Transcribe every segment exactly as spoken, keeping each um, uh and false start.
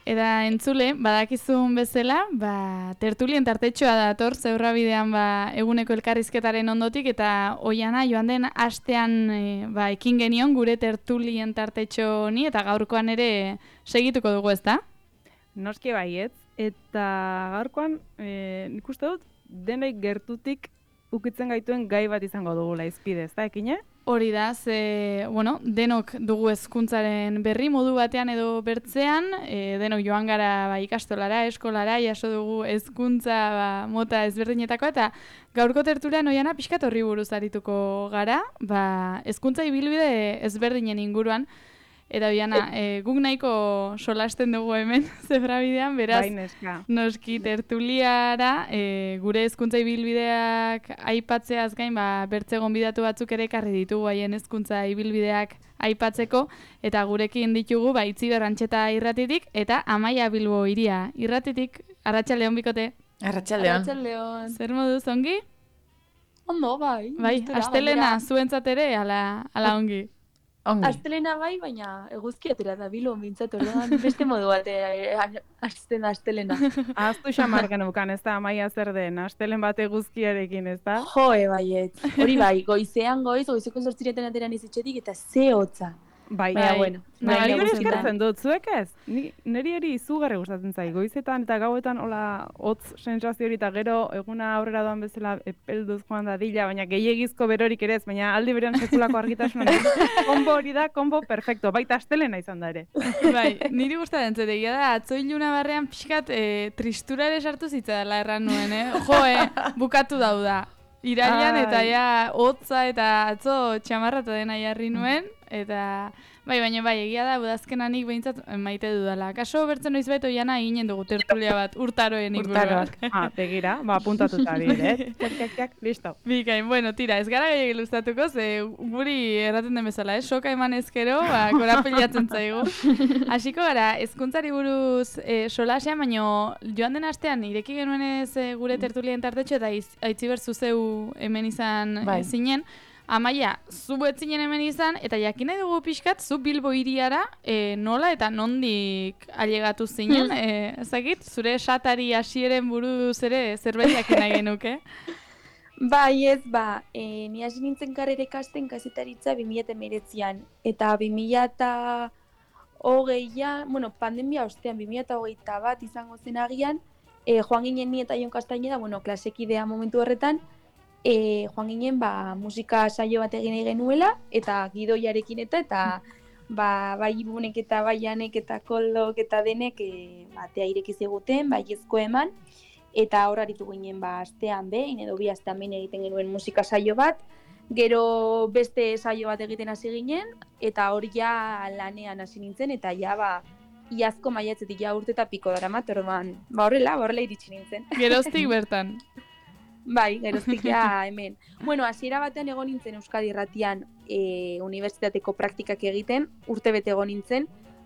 Eta entzule, badakizun bezala, ba, tertulien tartetxoa dator, Zeurrabidean ba, eguneko elkarrizketaren ondotik, eta oiana joan den astean e, ba, ekin genion gure tertulien tartetxo honi, eta gaurkoan ere segituko dugu, ezta? Noski baietz, eta gaurkoan e, nik uste dut, denei gertutik ukitzen gaituen gai bat izango dugula izpide, ezta ekine? Hori da, ze, bueno, denok dugu hezkuntzaren berri modu batean edo bertzean, e, denok joan gara ba, ikastolara, eskolara, jaso dugu hezkuntza ba, mota ezberdinetako, eta gaurko tertulian oiana pixkat horri buruz arituko gara, ba, hezkuntza ibilbide ezberdinen inguruan, eta oiana, e, guk nahiko solasten dugu hemen, Zebrabidean, beraz, Baineska. noski tertuliara, e, gure hezkuntza ibilbideak aipatzeaz gain, ba, bertze gonbidatu batzuk ere ekarri ditugu haien hezkuntza ibilbideak aipatzeko, eta gurekin ditugu, ba, Itziber Antxeta irratitik, eta Amaia Bilbo Iria irratitik. Arratsaldeon bikote. Arratsaldeon. Arratsaldeon. Zer moduz ongi? Ondo, bai. Bai, gustura, astelena gainera. zuentzat ere, ala, ala ongi. Ongi. Astelena bai, baina eguzki atera da bilo, mintzat orduan beste modu batera hasten da astelena. Ahaztu xamar genukan, ez da, Amaia zer den, astelen bat eguzkiarekin, ez da? Joe, baiet. Hori bai, goizean goiz, goizeko zortziretan atera nizitxetik eta ze hotza. Bai, Baina, Bai. bueno. Bai, Bai, bai, hori gustatzen da. eskertzen dut, zuek ez? Ni, niri hori izugarri gustatzen zai, goizetan eta gauetan hola hotz sensazio hori eta gero eguna aurrera doan bezala epelduz joan dadila, baina gehiegizko berorik ere ez, baina aldi berean sekulako argitasuna. Konbo hori da, konbo perfecto, baita astelena izan da ere. Bai, niri gustatzen zait, egia da, atzo iluna barrean pixkat e, tristura ere sartu zitzadala erran nuen, eh? Jo, eh, bukatu dauda. Irailan eta Ai. ja hotza eta atzo txamarratu dena jarri nuen, eta bai, baina bai, egia da, udazkenanik behintzat maite dudala. Kaso bertzen noiz baito jana eginen dugu tertulia bat, urtaroen inguruan. Urtaroak. Ah, begira, ba, puntatuta dire, eh? Tiak, tiak, tiak, listo. Bikain, bueno, tira, ez gara gehiagik luztatuko, ze guri erraten den bezala, eh? Soka eman ezkero, ba, korapilatzen zaigu. Hasiko gara, hezkuntzari buruz e, solasean, baino joan den astean, ireki genuenez e, gure tertulien tartetxo, eta iz- Aitziber zuzeu hemen izan Bai. e, zinen. Amaia, zu etzinen hemen izan, eta jakin nahi dugu pixkat, zu Bilbo hiriara e, nola eta nondik ailegatu zinen, e, ezagit, zure esatari hasieren buruz ere zerbait jakin nahi genuke. Bai ez, ba, e, ni hasi nintzen karrera ikasten kazetaritza bi mila hemeretzian, eta bi mila hogeian, bueno, pandemia ostean, bi mila hogeita bat izango zen agian, e, joan ginen ni eta Jon Castañeda, bueno, klasekidea momentu horretan, e, joan ginen ba, musika saio bat egin nahi genuela, eta gidoiarekin eta, eta ba, bai ibunek eta bai Janek eta Koldok eta denek e, batea ireki ziguten, bai ezko eman, eta hor aritu ginen ba, astean behin, edo bi astean behin egiten genuen musika saio bat, gero beste saio bat egiten hasi ginen, eta hor ja lanean hasi nintzen, eta ja ba, iazko maiatzetik ja urte eta piko daramat, orduan, ba horrela, ba horrela iritsi nintzen. Geroztik bertan. Bai, geroztik ja hemen. Bueno, hasiera batean egon nintzen Euskadi Irratian e, unibertsitateko praktikak egiten, urte bete egon nintzen,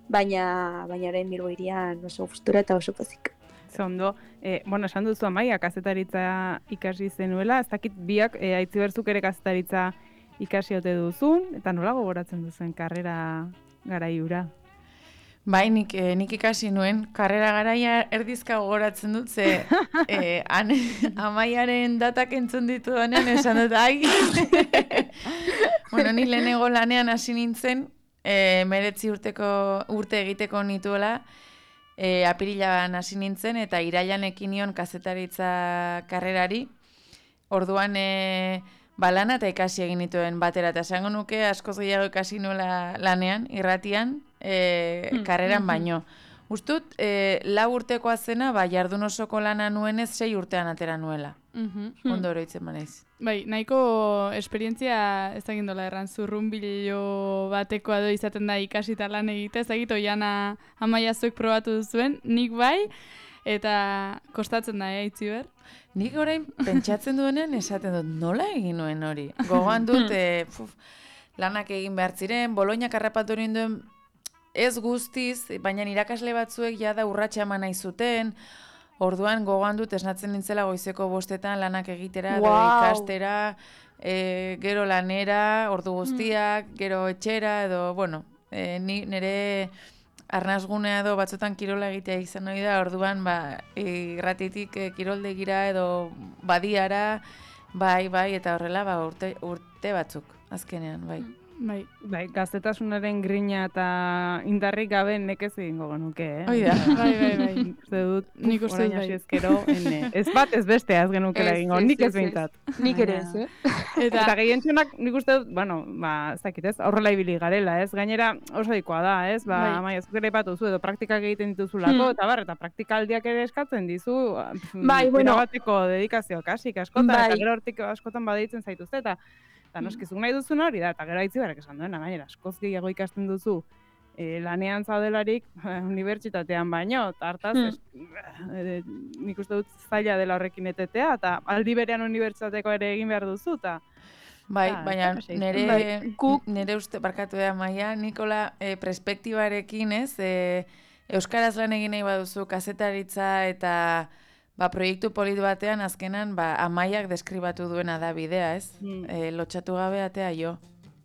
baina baina orain Bilbo hirian oso gustura eta oso pozik. Zondo, eh, bueno, esan duzu Amaia, kazetaritza ikasi zenuela, ez dakit biak eh, Aitziberzuk ere kazetaritza ikasi ote duzun, eta nola gogoratzen duzuen karrera garaiura? Bai, nik, eh, nik ikasi nuen, karrera garaia erdizka gogoratzen dut, ze eh, an, Amaiaren datak entzun ditu denean, esan dut, ai. Bueno, ni lehenengo lanean hasi nintzen, eh, meretzi urteko urte egiteko nituela, eh, apirilan hasi nintzen, eta irailan ekin nion kazetaritza karrerari, orduan eh, ba, lana eta ikasi egin nituen batera, eta esango nuke askoz gehiago ikasi nuela lanean, irratian, e, karreran baino. Ustut, e, lau urtekoa zena, ba, jardun osoko lana nuenez, sei urtean atera nuela. Mhm. Ondo oroitzen manaiz. Bai, nahiko esperientzia ez egin dola erran, zurrunbilo batekoa do izaten da ikasita lan egitea, ez egit oiana Amaia zuek probatu duzuen, nik bai, eta kostatzen da, eh, Itziber? Nik orain pentsatzen duenean esaten dut, nola egin nuen hori? Gogoan dut, e, puf, lanak egin behar ziren, Bolognak harrapatu ninduen ez guztiz, baina irakasle batzuek jada urratsa eman nahi zuten, orduan gogoan dut esnatzen nintzela goizeko bostetan lanak egitera, edo Wow. ikastera, e, gero lanera, ordu guztiak, gero etxera, edo, bueno, e, ni, nire arnazgunea edo batzutan kirola egitea izan nahi da, orduan ba, irratitik e, kiroldegira edo badiara, bai, bai, eta horrela ba, urte, urte batzuk, azkenean, bai. Bai. Bai, gaztetasunaren grina eta indarrik gabe nekez egingo genuke, eh? Hoi da. Bai, bai, bai. Uste dut, Nik uste dut orain hasi bai. ezkero, ene. Ez bat, ez beste, ez genukela Ez, egingo, ez, nik ez ez, ez. behintzat. Nik ere ez, eh? Eta, Eta gehientsunak nik uste dut, bueno, ba, ez dakit ez, aurrela ibili garela, ez? Gainera oso dikoa da, ez? Ba, Bai. amaia, zuk ere batu zu, edo praktikak egiten dituzulako, Hmm. eta bar, eta praktikaldiak ere eskatzen dizu, Bai, bueno. bateko dedikazio kasik askotan, Bai. eta gero hortik askotan badeitzen zaituzte, eta eta noskizuk nahi duzuna hori da, eta gero haitzi berak esan duena, gainera, askoz gehiago ikasten duzu, e, lanean zaudelarik, unibertsitatean baino, eta hartaz, Hmm. es, e, nik uste dut zaila dela horrekin etetea, eta aldi berean unibertsitateko ere egin behar duzu, eta Bai, Ah, baina ez da nere, Bai, guk- nere uste, barkatu da, Maia, Nikola, e, perspektibarekin, ez, e, euskaraz lan egin nahi baduzu, kazetaritza eta ba, proiektu polit batean, azkenan, ba, Amaiak deskribatu duena da bidea, ez? Mm. E, lotxatu gabe atea jo.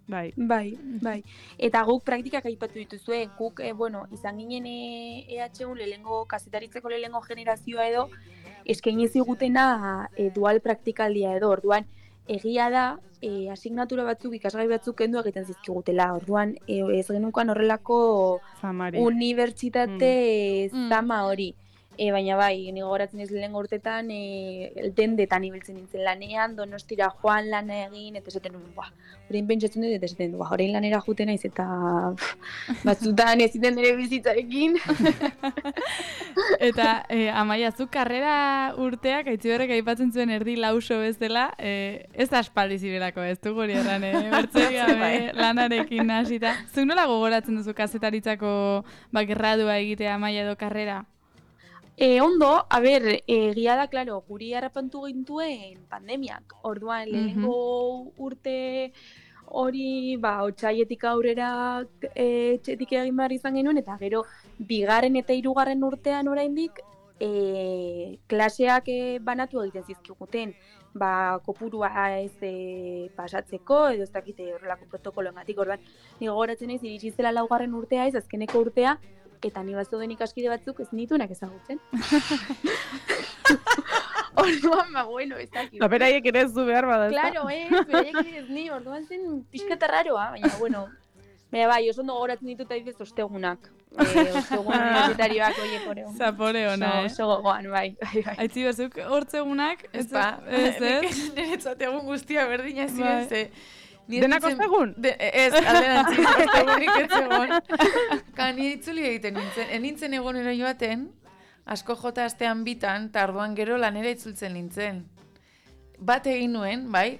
bai. Bai, bai. Eta guk praktikak aipatu dituzue, guk, e, bueno, izan ginen e, EHU lehengo, kazetaritzeko lehengo generazioa edo, eskaini zigutena e, dual praktikaldia edo, orduan, egia da, e, asignatura batzuk, ikasgai batzuk kendu egiten zizkigutela, orduan, e, ez genukan horrelako Zamari. unibertsitate Mm. zama hori. E, baina bai, ni gogoratzen ez lehenengo urtetan, e, dendetan ibiltzen nintzen lanean, Donostira joan lana egin, eta esaten nuen, ba, orain pentsatzen dut, eta esaten dut, ba, orain lanera juten naiz, eta pff, batzutan ez ziten nire bizitzarekin. eta e, Amaia, zu karrera urteak, Aitziberrek aipatzen zuen erdi lauso bezala, e, ez da aspaldi zibelako, ez du guri erran, e, bertzoi gabe Bai. lanarekin hasita. Zuk nola gogoratzen duzu kazetaritzako ba, gradua egitea Amaia edo karrera? E, ondo, a ber, egia da, klaro, guri harrapantu gintuen pandemiak. Orduan, lehenengo urte hori, ba, otsaietik aurrera e, etxetik egin behar izan genuen, eta gero, bigarren eta hirugarren urtean oraindik, e, klaseak e, banatu egiten zizkiguten, ba, kopurua ez e, pasatzeko, edo ez dakite horrelako protokoloengatik. Orduan, ni gogoratzen naiz iritsi zela laugarren urtea ez, azkeneko urtea, eta ni bazeuden ikaskide batzuk ez nituenak ezagutzen. Orduan, ba, bueno, ez dakit. Eta beraiek ere ez du behar bada, ezta? Claro, ez, beraiek ere ez ni, orduan zen pixka eta raroa, baina, bueno, baina bai, oso ondo gogoratzen ditut adibidez ostegunak. E, ostegun universitarioak oiek hori. Zapore ona, Oso, eh? oso gogoan, bai, bai, bai. Aitziber, zuk hortzegunak, Ez ba, ez, ez? niretzat egun guztia berdina Bai. ziren, ze... ni ez Denak nintzen- ostegun? De, ez, alderantziz, ostegunik ez egon. Ka, ni itzuli egiten nintzen, en nintzen egonero joaten, asko jota astean bitan, eta orduan gero lanera itzultzen nintzen. Bat egin nuen, bai,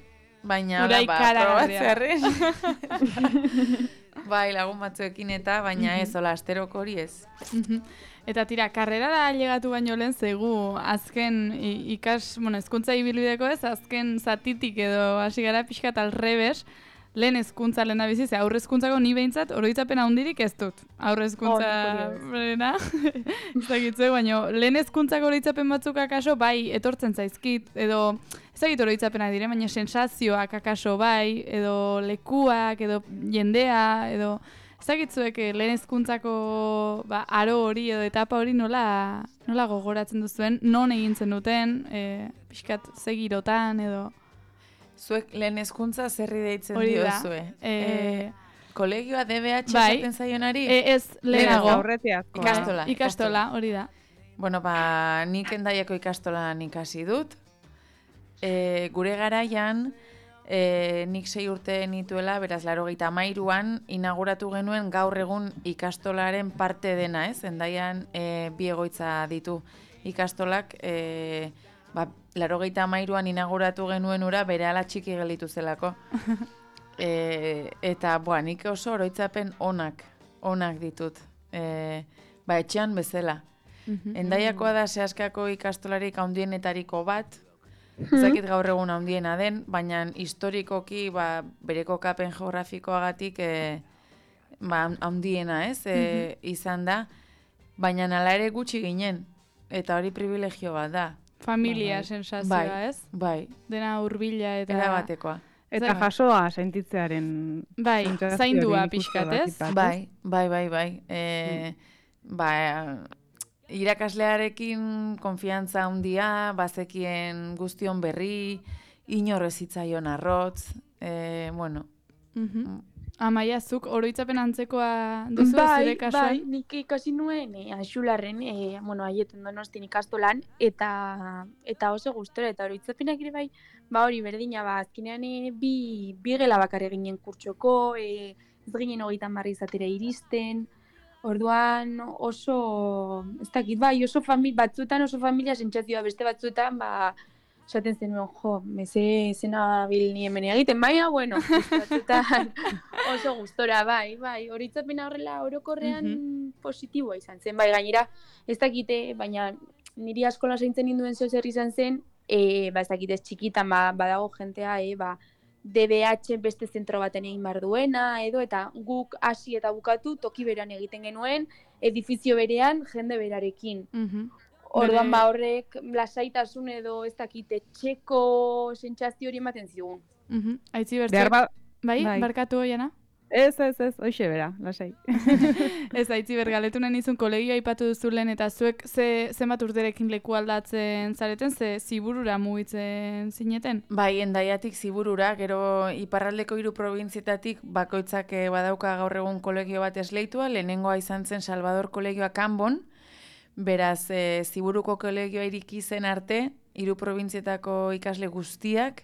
baina Ura hola, ba, ikaragarria. probatzearren. Bai, lagun batzuekin eta, baina ez, hola, asteroko hori ez. Mhm. Eta tira, karrerara llegatu baino lehen zegu, azken i- ikas, bueno, hezkuntza ibilbideko ez, azken zatitik edo hasi gara pixka tal rebes, lehen hezkuntza lehen da bizi, ze aurre hezkuntzako ni behintzat oroitzapen handirik ez dut. Aurre hezkuntza Oh, berena, ez dakitzu, baina lehen hezkuntzako oroitzapen batzuk akaso bai etortzen zaizkit, edo ez dakit oroitzapenak dire, baina sensazioak akaso bai, edo lekuak, edo jendea, edo ez dakitzuek lehen hezkuntzako ba, aro hori edo etapa hori nola, nola gogoratzen duzuen, non egin zen e, pixkat segirotan edo Zuek lehen hezkuntza zerri deitzen hori da. diozue. E, Kolegioa D B H bai. esaten zaionari? e, ez, lehenago. Aurretiazkoa. Ikastola. Bai, ikastola, hori da. Bueno, ba, nik endaiako ikastolan ikasi dut. E, gure garaian, e, nik sei urte nituela, beraz, laurogeita hamairuan inauguratu genuen gaur egun ikastolaren parte dena, ez? Endaian e, bi egoitza ditu ikastolak, e, ba, laurogeita hamairuan inauguratu genuen ura bere ala txiki gelditu zelako. E, eta, boa, nik oso oroitzapen onak, onak ditut. E, ba, etxean bezala. Endaiakoa da Seaskako ikastolarik handienetariko bat, ez dakit gaur egun handiena den, baina historikoki ba, bere kokapen geografikoagatik e, ba, handiena ez, e, izan da, baina hala ere gutxi ginen, eta hori privilegio bat da. Familia Bai. sensazioa, Bai, ez? bai, Dena hurbila eta... erabatekoa. Eta Bai. jasoa sentitzearen Bai, sentsazio zaindua hori nik uste pixkat, dakit ez? bat, Bai, bai, bai, bai. E, ba, irakaslearekin konfiantza handia, bazekien guztion berri, inorrez hitzaion arrotz, e, bueno. Mhm. Amaia, zuk oroitzapen antzekoa duzu bai, zure kasuan? bai, nik ikasi nuen e, Axularren, e, bueno, aieten Donostin ikastolan, eta eta oso gustora, eta oroitzapenak ere bai, ba hori berdina, ba, azkenean e, bi, bi gela bakar eginen kurtsoko, e, ez ginen hogeita hamar izatera iristen, orduan oso, ez dakit, bai, oso famili, batzuetan oso familia sentsazioa, beste batzuetan, ba, esaten zenuen, jo, meze zena bil ni hemen egiten, baina, bueno, beste batzuetan oso gustora, bai, bai, horitzapena horrela orokorrean Mhm. positiboa izan zen, bai, gainera, ez dakite, baina niri askola zaintzen ninduen zeo zer izan zen, e, ba, ez dakit, ez txikitan, ba, badago jentea, e, ba, D B H beste zentro baten egin behar duena, edo, eta guk hasi eta bukatu toki berean egiten genuen, edifizio berean, jende berarekin. Mhm. Orduan, Bere- ba, horrek lasaitasun edo ez dakit etxeko sentsazio hori ematen zigun. Mhm. Aitzi Behar bertzeak, ba... bai, bai. barkatu oiana? Ez, ez, ez, hoxe bera, lasai. Ez, aitzi bergaletu nahi nizun kolegioa aipatu duzu lehen, eta zuek ze, zenbat urterekin leku aldatzen zareten, ze ziburura mugitzen zineten? Bai, Endaiatik Ziburura, gero iparraldeko hiru probintzietatik bakoitzak eh, badauka gaur egun kolegio bat esleitua, lehenengoa izan zen Salvador kolegioa Kanbon, beraz e, Ziburuko kolegioa iriki zen arte, hiru probintzietako ikasle guztiak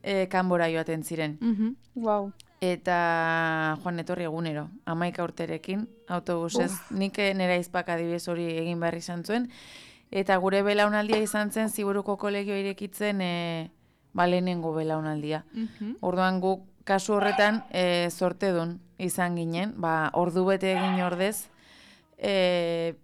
e, Kanbora joaten ziren. Mhm. Wow. Eta joan etorri egunero, hamaika urterekin, autobusez, nik nera izpak adibidez hori egin behar izan zuen, eta gure belaunaldia izan zen Ziburuko kolegioa irekitzen e, ba, lehenengo belaunaldia. Mhm. Orduan guk kasu horretan e, zortedun izan ginen, ba, ordu bete egin ordez, e,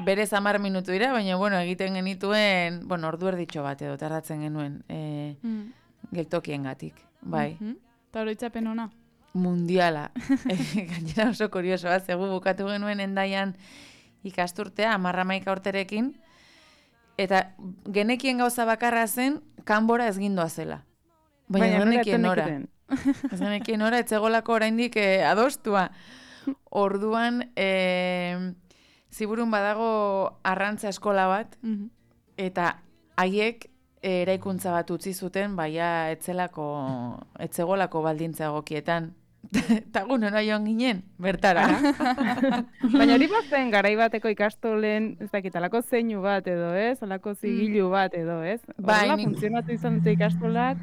berez hamar minutu dira, baina bueno, egiten genituen, bueno, ordu erditxo bat edo tardatzen genuen e, Mm. geltokiengatik, bai. Mhm. Eta oroitzapen ona? Mundiala. E, gainera oso kuriosoa, zegu bukatu genuen Endaian ikasturtea, hamarra hamaika urterekin, eta genekien gauza bakarra zen, Kanbora ez gindoa zela. Baina, nola genekien etzen nora. nekiten? Ez genekien nora, etzegolako oraindik eh, adostua. Orduan, eh, Ziburun badago arrantza eskola bat, Mhm. eta haiek eh, eraikuntza bat utzi zuten, baina etzelako, etzegolako baldintza egokietan. Eta gu nora joan ginen, bertara. Baina hori bazen garai bateko ikastolen, ez dakit, alako zeinu bat edo, ez? Alako zigilu bat edo, ez? Bai, Horrela nik- funtzionatu izan dute ikastolak.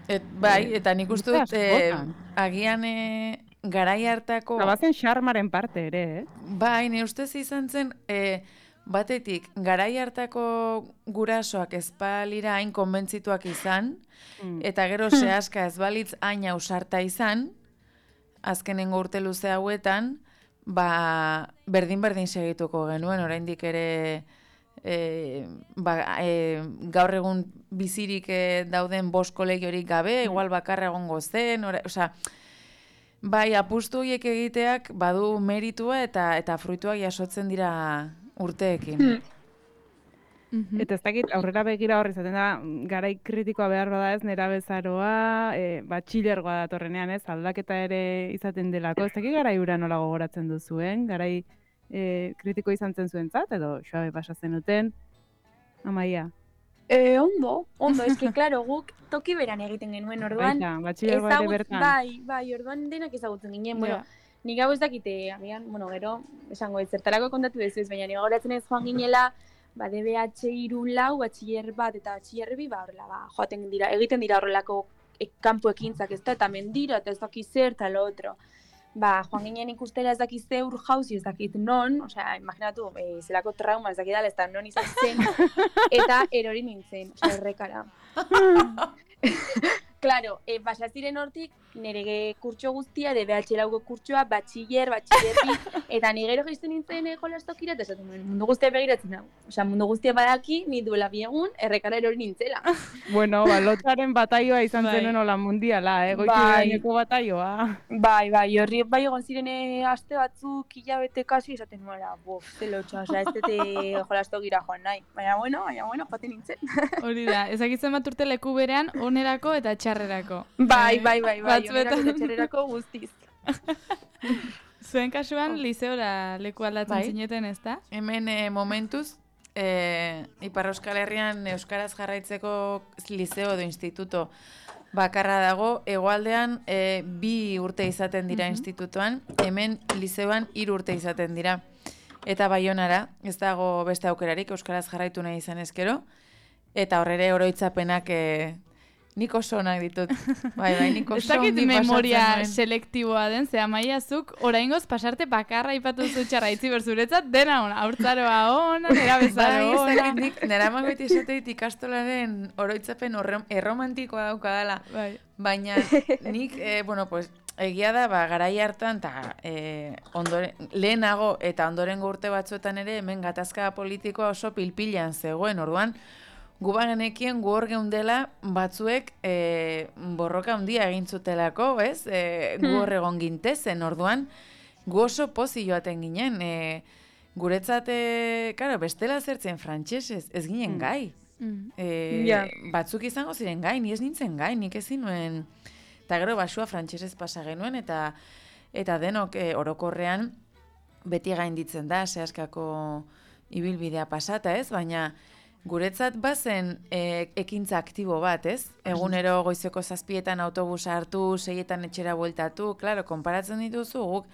Et, bai, eta nik uste dut, Urte eh, askotan. agian eh, garai hartako... Eta bazen xarmaren parte ere, eh? Bai, ne ustez izan zen, e, batetik, garai hartako gurasoak ezbalira hain konbentzituak izan, Mm. eta gero sehaska ez balitz hain ausarta izan, azkenengo urte luze hauetan, ba, berdin-berdin segituko genuen, oraindik ere e, ba, e, gaur egun bizirik e, dauden bost kolegiorik gabe, igual bakarra egongo zen, ora, osea, bai, apustu horiek egiteak badu meritua eta eta fruituak jasotzen dira urteekin. Mhm. Eta ez dakit, aurrera begira horri zaten da, garai kritikoa behar bada ez, nera bezaroa, e, batxilergoa datorrenean ez, aldaketa ere izaten delako. Ez dakit garai hura nola gogoratzen duzuen, garai e, kritiko izan zen zuentzat, edo suabe pasa zenuten, Amaia. E, ondo, ondo, eske, klaro, guk toki beran egiten genuen, orduan, Baita, batxilergoa ere ezagut- bertan. bai, bai, orduan denak ezagutzen ginen, bueno, nik hau ez dakite, agian, bueno, gero, esango ez, zertarako kontatu dezu ez, baina nik goratzen ez joan ginela, ba, D B H hiru lau, batxiller bat eta batxiller bi, ba, horrela, ba, joaten dira, egiten dira horrelako e, kanpo ekintzak, ez da, eta mendira, eta ez dakiz zer, eta lo otro. Ba, joan ginen ikustela ez dakiz ze ur jauzi, ez dakit non, osea, imaginatu, e, zelako trauma ez dakidala, ez da non izan zen, eta erori nintzen, osea, errekara. Claro, e, basa ziren hortik, nire kurtso guztia, D B H lauko kurtsoa, batxiller, batxiller bi, eta ni gero jaisten nintzen e, jolastokira, eta esaten nuen, mundu guztia begiratzen hau. Osea, mundu guztia badaki, ni duela bi egun, errekara erori nintzela. Bueno, ba, lotzaren bataioa izan Bai. zenuen hola mundiala, eh? Goiti Bai. gaineko bataioa. Bai, bai, horri bai egon ziren e, aste batzuk, hilabete kasi, esaten nuela, bof, ze lotxa, osea, ez dute jolastokira joan nahi. Baina bueno, baina bueno, joaten nintzen. Hori da, ezakitzen bat urte leku berean, onerako eta txarrerako. Bai, Eh, bai, bai, bai, batzuetan- onerako eta txerrerako guztiz. Zuen kasuan, liseora leku aldatzen Bai. zineten, ez da? Hemen e, momentuz, e, Ipar Euskal Herrian Euskaraz jarraitzeko liceo edo instituto bakarra dago, hegoaldean e, bi urte izaten dira Mhm. institutoan, hemen liceoan hiru urte izaten dira. Eta Baionara, ez dago beste aukerarik euskaraz jarraitu nahi izan ezkero, eta horrere oroitzapenak e, nik oso onak ditut. Bai, bai, nik Ez oso dakit ongi pasatzen memoria nuen. selektiboa den, ze amaiazuk oraingoz pasarte bakarra ipatu zutxarra itzi berzuretzat, dena ona, haurtzaroa ona, nera bezaro Bai, ez ona. dakit nik, nera mangoiti esateit ikastolaren oroitzapen horre- erromantikoa daukadala. Bai. Baina nik, eh, bueno, pues, egia da, ba, garai hartan, eta eh, ondore, lehenago eta ondorengo urte batzuetan ere, hemen gatazka politikoa oso pilpilan zegoen, orduan, gu bagenekien gu hor geundela batzuek e, borroka handia egin zutelako, ez? E, gu hor egon gintezen, orduan, gu oso pozi joaten ginen. E, guretzat, e, karo, bestela zertzen frantsesez, ez ginen gai. Mm. E, Ja. Batzuk izango ziren gai, ni ez nintzen gai, nik ezin nuen. Eta gero basua frantsesez pasa genuen, eta eta denok e, orokorrean beti gainditzen da, zehaskako ibilbidea pasata, ez? Baina guretzat bazen e, ekintza aktibo bat, ez? Egunero goizeko zazpietan autobusa hartu, seietan etxera bueltatu, klaro, konparatzen dituzu, guk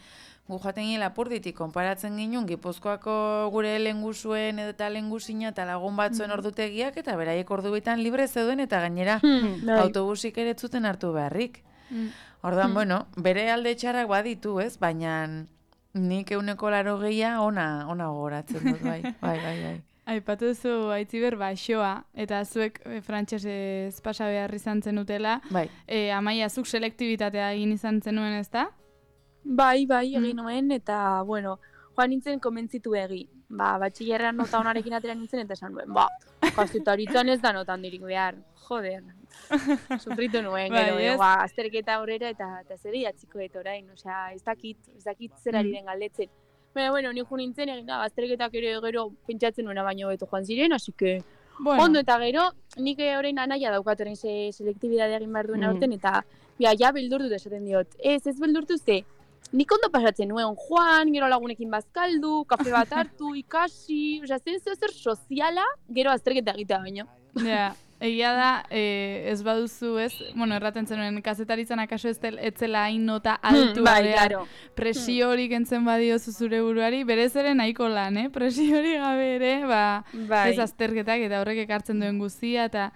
gu joaten ginen Lapurditik, konparatzen ginen Gipuzkoako gure lehengusuen edo eta lehengusina eta lagun batzuen ordutegiak, eta beraiek ordu bitan libre zeuden, eta gainera Bai. autobusik ere ez zuten hartu beharrik. Mm. Orduan, bueno, bere alde txarrak baditu, ez? Baina nik euneko laro gehia ona, ona gogoratzen dut, bai, bai, bai, bai. Aipatu duzu Aitziber baixoa, eta zuek e, frantsesez pasa behar izan zenutela, Bai. e, Amaia, zuk selektibitatea egin izan zenuen, ez da? Bai, bai, egin nuen, eta, bueno, joan nintzen konbentzitu egi. Ba, batxillerrean nota onarekin atera nintzen, eta esan nuen, ba, kazetaritzan ez da notan dirik behar, joder, sufritu nuen, Bai, gero, ez? ba, azterketa aurrera, eta, eta zer idatziko dut orain, osea, ez dakit, ez dakit zer ari den galdetzen. Baina, bueno, ni jo nintzen, egin da, azterketak ere gero pentsatzen nuena baino beto joan ziren, así que, Bueno, ondo, eta gero, nik orain anaia daukat orain ze selektibidadea egin behar duen Mhm. aurten, eta, ja, ja, beldurtu esaten diot, ez, ez beldurtu ze, nik ondo pasatzen nuen joan, gero lagunekin bazkaldu, kafe bat hartu, ikasi, osea, zen zeo zer soziala, gero azterketa egitea baino. ja, egia da, e, ez baduzu ez, bueno, erraten zenuen, kazetaritzan akaso ez del- ez zela hain nota altua bai, behar, claro. presio hori kentzen badiozu zure buruari, berez ere nahiko lan, eh? Presio hori gabe ere, ba, Bai. ez azterketak eta horrek ekartzen duen guztia, eta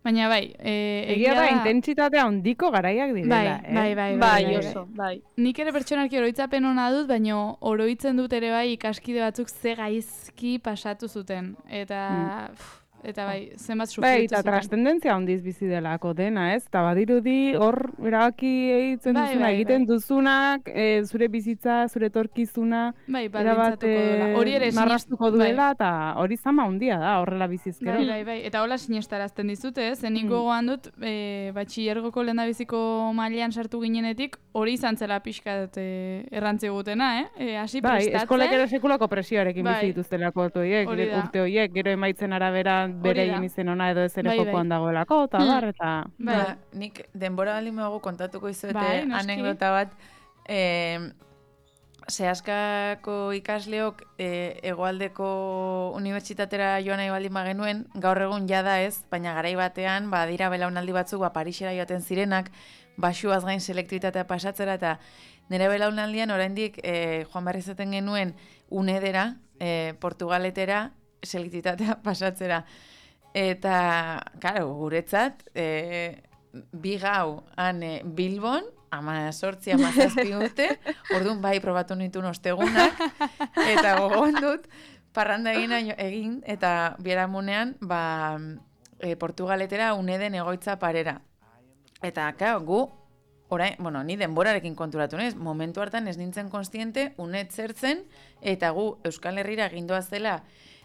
baina bai, e, Egia da, intentsitatea handiko garaiak direla, bai, eh? bai, bai, Bai, bai, oso, bai. Nik ere pertsonalki oroitzapen ona dut, baina oroitzen dut ere bai ikaskide batzuk ze gaizki pasatu zuten. Eta, pff, eta bai, zenbat Bai, sufritu eta zuten. trascendentzia handiz bizi delako dena, ez? Eta badirudi hor erabaki egiten Bai, duzuna, bai, egiten bai. duzunak, e, zure bizitza, zure etorkizuna, Bai, erabat baldintzatuko duela. Hori ere marrastuko sinest- duela, eta hori zama handia da, horrela bizizkero. Bai, bai, bai. Eta hola sinestarazten dizute, ez? Nik Mm. gogoan dut, e, batxillergoko lehendabiziko mailean sartu ginenetik, hori izan zela pixkat e, errantzi gutena, eh? E, hasi Bai, prestatzen. eskolek ere sekulako presioarekin Bai. bizi dituztelako horiek, Hori da. urte horiek, gero emaitzen arabera bereien da. izen ona edo ez ere Bai, bai. jokoan dagoelako, eta Hmm. bar, eta... Bai. Ba, nik denbora baldin bago kontatuko izuete Bai, noski. anekdota bat. E, Sehaskako ikasleok e, hegoaldeko unibertsitatera joan nahi baldin bagenuen, gaur egun jada ez, baina garai batean, ba, dira belaunaldi batzuk, ba, Parisera joaten zirenak, basuaz gain selektibitatea pasatzera, eta nire belaunaldian oraindik e, joan behar izaten genuen unedera, e, Portugaletera, selektibitatea pasatzera. Eta, karo, guretzat, e, bi gau han e, Bilbon, ama sortzi, ama zazpi urte, orduan bai probatu nituen ostegunak, eta gogoan dut, parranda egin, egin eta biharamunean, ba, e, Portugaletera uneden egoitza parera. Eta, karo, gu, orain, bueno, ni denborarekin konturatu naiz, momentu hartan ez nintzen konstiente, unet zertzen, eta gu Euskal Herrira gindoaz zela,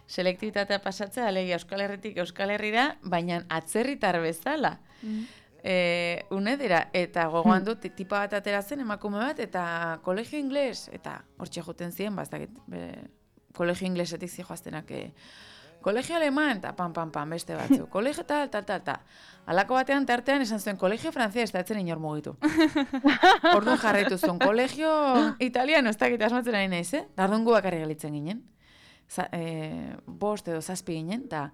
selektibitatea pasatzea, alegia Euskal Herritik Euskal Herrira, baina atzerritar bezala. Mm. E, unedera, eta gogoan dut, tipa bat atera zen, emakume bat, eta kolegio ingles, eta hortxe joten ziren, ba, ez dakit, be, kolegio inglesetik zijoaztenak, e, Kolegio aleman, eta pam, pam, pam, beste batzu. Kolegio tal, tal, tal, tal. Alako batean, tartean, esan zuen, kolegio frantzes, eta etzen inor mugitu. Orduan jarraitu zuen, kolegio italiano, ez dakit asmatzen ari naiz, eh? Dardun gu bakarri galitzen ginen. Za, e, bost edo zazpi ginen, eta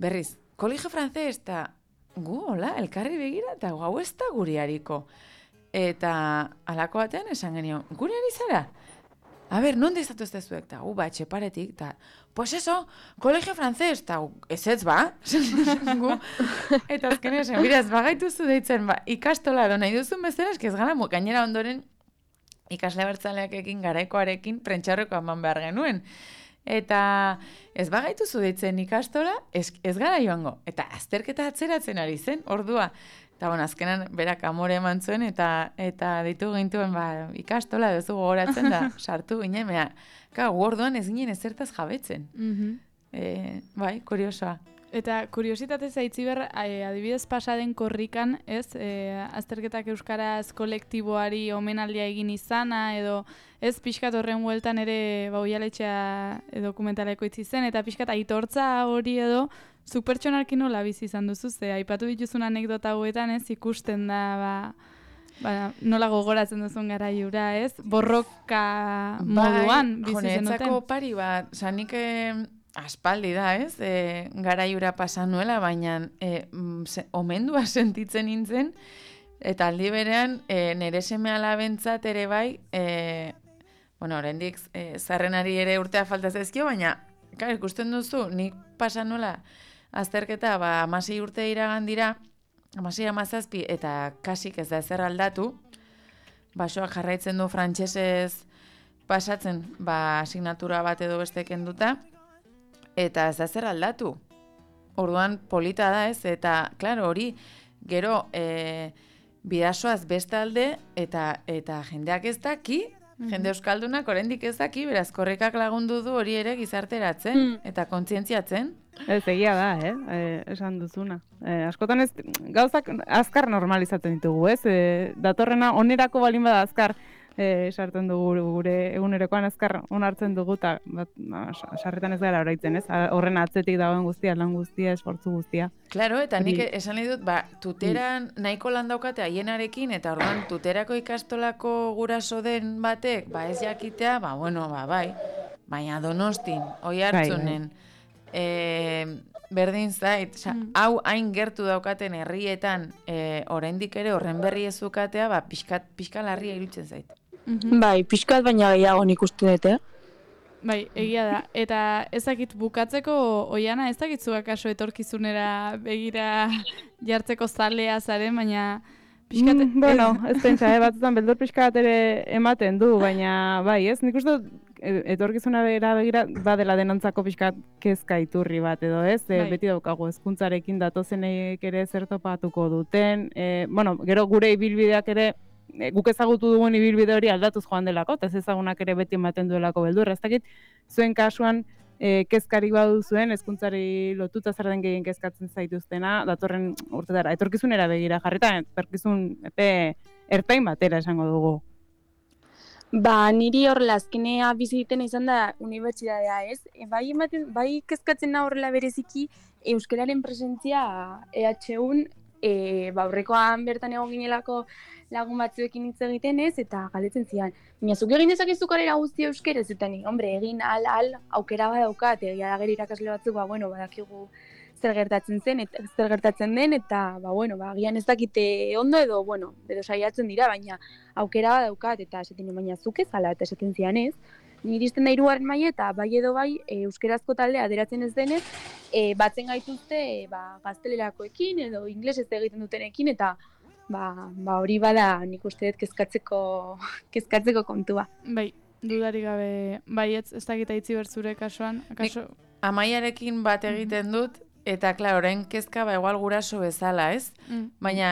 berriz, kolegio frantzes, eta gu, hola, elkarri begira, eta hau ez da guri hariko. Eta alako batean esan genio, guri ari zara? A ber, non dizatu ez dezuek? Ta, gu, ba, etxeparetik, ta, pues eso, kolegio frantzes, ta, ez ez ba? gu, eta azken esan, mira, ez bagaituzu deitzen, ba, ikastola do nahi duzun bezala, ez gara, gainera ondoren, ikasle bertzaleakekin, garaikoarekin, prentxaurreko eman behar genuen. Eta ez bagaituzu deitzen ikastola, ez, ez gara joango. Eta azterketa atzeratzen ari zen, ordua. Eta bon, azkenan berak amore eman zuen, eta eta ditu gintuen ba, ikastola duzu gogoratzen da, sartu ginen, mea, ka, orduan ez ginen ezertaz jabetzen. Mhm. E, bai, kuriosoa. Eta kuriositatez aitziber, eh, adibidez pasaden korrikan, ez, eh, azterketak euskaraz kolektiboari omenaldia egin izana, edo ez pixkat horren bueltan ere bauialetxea dokumentaleko itzi zen, eta pixkat aitortza hori edo, zuk pertsonalki nola bizi izan duzu, ze aipatu dituzun anekdota hauetan, ez, ikusten da, ba, ba, nola gogoratzen duzun garaiura, ez, borroka moduan bizi zenuten. Honetzako pari bat, zanik aspaldi da, ez, e, garaiura pasan nuela, baina e, se, omendua sentitzen nintzen, eta aldi berean e, nire seme alabentzat ere bai, e, bueno, oraindik e, zarrenari ere urtea falta zaizkio, baina, klar, ikusten duzu, nik pasan nuela azterketa, ba, amasei urte iragan dira, amasei amazazpi, eta kasik ez da ezer aldatu, basoak jarraitzen du frantsesez pasatzen, ba, asignatura bat edo beste kenduta, eta ez da zer aldatu. Orduan polita da ez, eta, klaro, hori, gero, e, bidasoaz bestalde, eta eta jendeak ez daki, jende euskaldunak oraindik ez daki, beraz, korrikak lagundu du hori ere gizarteratzen, Mm. eta kontzientziatzen. Ez egia da, eh? eh esan duzuna. Eh, askotan ez, gauzak azkar normalizatzen ditugu, ez? Eh, datorrena onerako balin bada azkar eh, sartzen dugu gure egunerokoan azkar onartzen dugu, eta bat, ba, sarretan ez gara oraitzen, ez? Horren atzetik dagoen guztia, lan guztia, esfortzu guztia. Claro, eta nik Hori- esan nahi dut, ba, tuteran nahiko lan daukate haienarekin, eta orduan tuterako ikastolako guraso den batek, ba ez jakitea, ba bueno, ba bai, baina Donostin, Oiartzunen, e, berdin zait, sa, Mm. hau hain gertu daukaten herrietan, e, oraindik ere horren berri ez zukatea, ba pixkat, pixka larria irutzen zait. Mhm. Bai, pixkat baina gehiago nik uste dut, eh? Bai, egia da. Eta ezakit bukatzeko, Oiana, ez dakit zu akaso etorkizunera begira jartzeko zalea zaren, baina pixkat... Mm, bueno, ez pentsa, eh, batzutan beldur pixka bat ere ematen du, baina bai, ez? Nik uste dut e- etorkizuna begira begira badela denontzako pixka kezka iturri bat edo, ez? E, Bai. beti daukagu hezkuntzarekin datozenek ere zer topatuko duten. E, bueno, gero gure ibilbideak ere e, guk ezagutu dugun ibilbide hori aldatuz joan delako, eta ez ezagunak ere beti ematen duelako beldurra. Ez dakit, zuen kasuan e, kezkari baduzuen, hezkuntzari lotuta zer den gehien kezkatzen zaituztena, datorren urtetara, etorkizunera begira jarrita, etorkizun epe ertain batera esango dugu. Ba, niri horrela azkenea biziten izan da unibertsitatea, ez? E, bai, ematen, bai kezkatzen da horrela bereziki euskararen presentzia E H Un, e, ba, aurrekoan bertan egon ginelako lagun batzuekin hitz egiten ez, eta galdetzen zian, baina zuk egin dezakezu karrera guztia euskeraz, eta ni, hombre, egin al, al, aukera badaukat, egia da gero irakasle batzuk, ba, bueno, badakigu zer gertatzen zen, eta zer gertatzen den, eta, ba, bueno, ba, agian ez dakite ondo edo, bueno, edo saiatzen dira, baina aukera badaukat, eta esaten nuen, baina zuk ez ala, eta esaten zian ez, niri izten da hirugarren maila eta bai edo bai e, euskerazko taldea aderatzen ez denez, e, batzen gaituzte e, ba, gaztelerakoekin edo inglesez egiten dutenekin, eta ba, ba hori bada nik uste dut kezkatzeko, kezkatzeko kontua. Bai, dudarik gabe, bai, ez, ez dakit aitzi bertzure kasuan, akaso... Amaiarekin bat egiten dut, eta klar, orain kezka ba igual guraso bezala, ez? Mm. Baina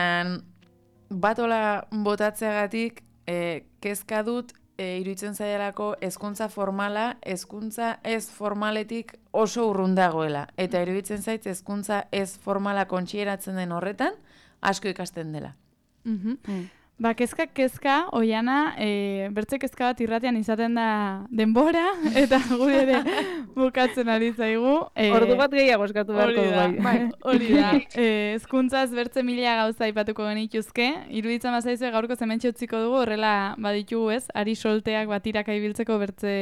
batola botatzeagatik e, kezka dut e, iruditzen zaialako hezkuntza formala, hezkuntza ez formaletik oso urrun dagoela. Eta iruditzen zait hezkuntza ez formala kontsieratzen den horretan, asko ikasten dela. Mhm. Mm. Ba, kezka, kezka, oiana, e, bertze kezka bat irratian izaten da denbora, eta gure ere bukatzen ari zaigu. E, Ordu bat gehiago eskatu beharko du bai. Bai, hori da. E, ezkuntzaz bertze mila gauza aipatuko genituzke. Iruditzen bazaizue gaurko zementxe utziko dugu, horrela baditugu ez, ari solteak batiraka ibiltzeko bertze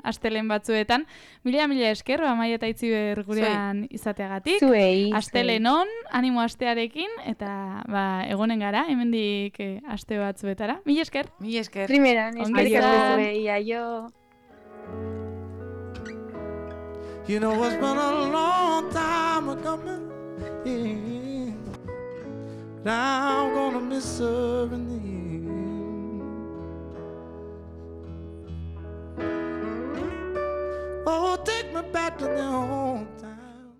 astelen batzuetan. Mila mila esker, Amaia eta Itziber gurean izateagatik. Zuei. Astelenon, animo astearekin, eta ba, egonen gara, hemendik e, aste batzuetara. Mila esker. Mila esker. Primeran, eskerrik Aio. asko zuei, aio. You know it's been a long time coming, yeah. But I'm gonna miss her in the end. Oh, take me back to the home